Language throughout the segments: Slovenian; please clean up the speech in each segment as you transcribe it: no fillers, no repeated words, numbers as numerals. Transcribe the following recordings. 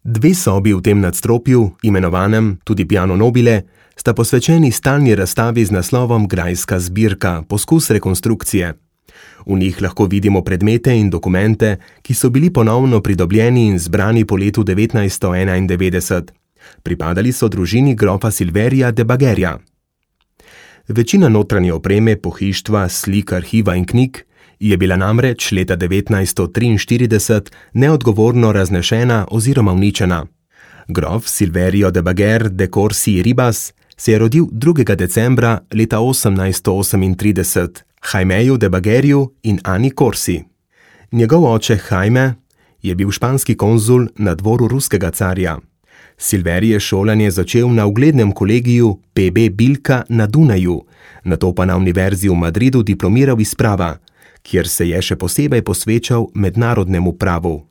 Dve sobi v tem nadstropju, imenovanem tudi Piano Nobile, sta posvečeni stalni razstavi z naslovom Grajska zbirka, poskus rekonstrukcije. V njih lahko vidimo predmete in dokumente, ki so bili ponovno pridobljeni in zbrani po letu 1991. Pripadali so družini grofa Silverija de Bagherja. Večina notranje opreme, pohištva, slik, arhiva in knjig je bila namreč leta 1943 neodgovorno raznešena oziroma uničena. Grof Silverio de Bagher de Corsi Ribas se je rodil 2. decembra leta 1838 Jaimeju de Bagherju in Ani Corsi. Njegov oče Jaime je bil španski konzul na dvoru ruskega carja. Silveri je šolanje začel na uglednem kolegiju P.B. Bilka na Dunaju, nato pa na univerzi v Madridu diplomiral iz prava, kjer se je še posebej posvečal mednarodnemu pravu.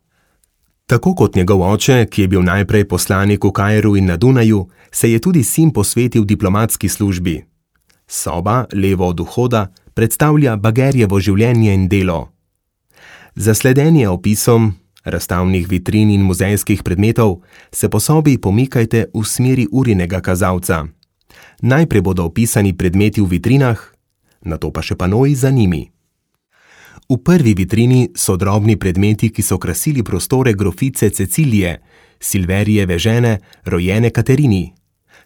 Tako kot njegov oče, ki je bil najprej poslanik v Kairu in na Dunaju, se je tudi sin posvetil diplomatski službi. Soba, levo od vhoda, predstavlja Bagherjevo življenje in delo. Za sledenje opisom razstavnih vitrin in muzejskih predmetov se po sobi pomikajte v smeri urinega kazalca. Najprej bodo opisani predmeti v vitrinah, nato pa še panoji za njimi. V prvi vitrini so drobni predmeti, ki so krasili prostore grofice Cecilije, Silverijeve žene, rojene Katerini.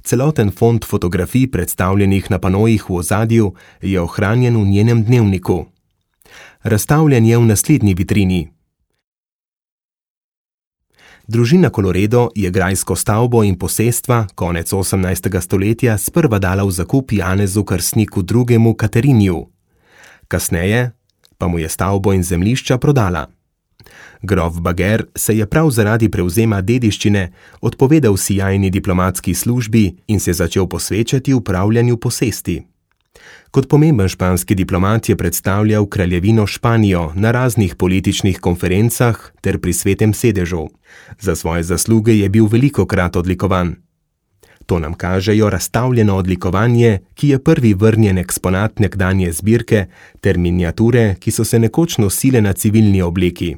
Celoten fond fotografij, predstavljenih na panojih v ozadju, je ohranjen v njenem dnevniku. Razstavljen je v naslednji vitrini. Družina Colloredo je grajsko stavbo in posestva konec 18. stoletja sprva dala v zakup Janezu Krstniku II. Kateriniju. Kasneje pa mu je stavbo in zemljišča prodala. Grof Bagher se je prav zaradi prevzema dediščine odpovedal sijajni diplomatski službi in se začel posvečati upravljanju posesti. Kot pomemben španski diplomat je predstavljal kraljevino Španijo na raznih političnih konferencah ter pri Svetem sedežu. Za svoje zasluge je bil velikokrat odlikovan. To nam kažejo razstavljeno odlikovanje, ki je prvi vrnjen eksponat nekdanje zbirke, ter miniature, ki so se nekoč nosile na civilni obleki.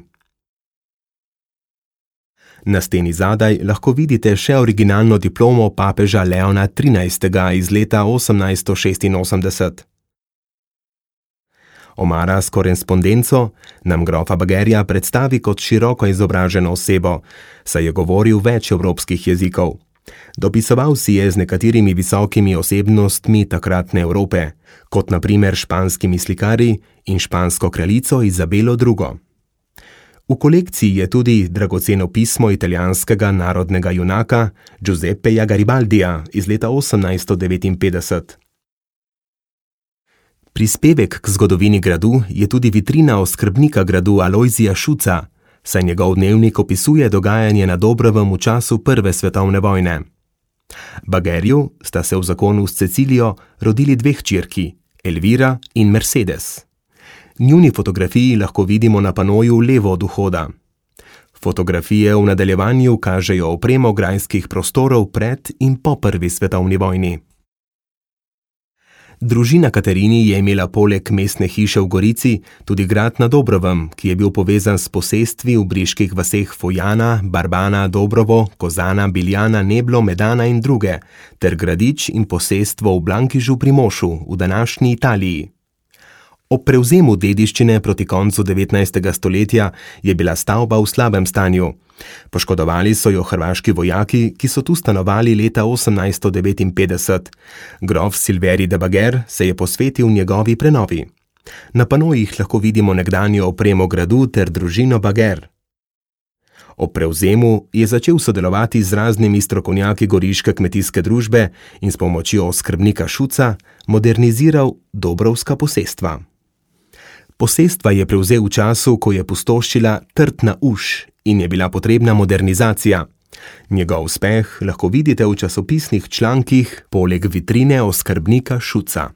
Na steni zadaj lahko vidite še originalno diplomo papeža Leona XIII. Iz leta 1886. Omara s korespondenco nam grofa Bagherja predstavi kot široko izobraženo osebo, saj je govoril več evropskih jezikov. Dopisoval si je z nekaterimi visokimi osebnostmi takratne Evrope, kot na primer španskimi slikarji in špansko kraljico Izabelo II. V kolekciji je tudi dragoceno pismo italijanskega narodnega junaka Giuseppeja Garibaldija iz leta 1859. Prispevek k zgodovini gradu je tudi vitrina oskrbnika gradu Alojzija Šuca, saj njegov dnevnik opisuje dogajanje na Dobrovem v času Prve svetovne vojne. Bagherju sta se v zakonu s Cecilijo rodili dve hčerki, Elvira in Mercedes. Njuni fotografiji lahko vidimo na panoju levo od vhoda. Fotografije v nadaljevanju kažejo opremo grajskih prostorov pred in po Prvi svetovni vojni. Družina Katerini je imela poleg mestne hiše v Gorici tudi grad na Dobrovem, ki je bil povezan s posestvi v briških vaseh Fojana, Barbana, Dobrovo, Kozana, Biljana, Neblo, Medana in druge, ter gradič in posestvo v Blankižu pri Mošu v današnji Italiji. Ob prevzemu dediščine proti koncu 19. stoletja je bila stavba v slabem stanju. Poškodovali so jo hrvaški vojaki, ki so tu stanovali leta 1859. Grof Silveri de Bagher se je posvetil njegovi prenovi. Na panojih lahko vidimo nekdanjo opremo gradu ter družino Bagher. Ob prevzemu je začel sodelovati z raznimi strokovnjaki goriške kmetijske družbe in s pomočjo oskrbnika Šuca moderniziral dobrovska posestva. Posestva je prevzel v času, ko je pustoščila Trtna uš in je bila potrebna modernizacija. Njegov uspeh lahko vidite v časopisnih člankih poleg vitrine oskrbnika Šuca.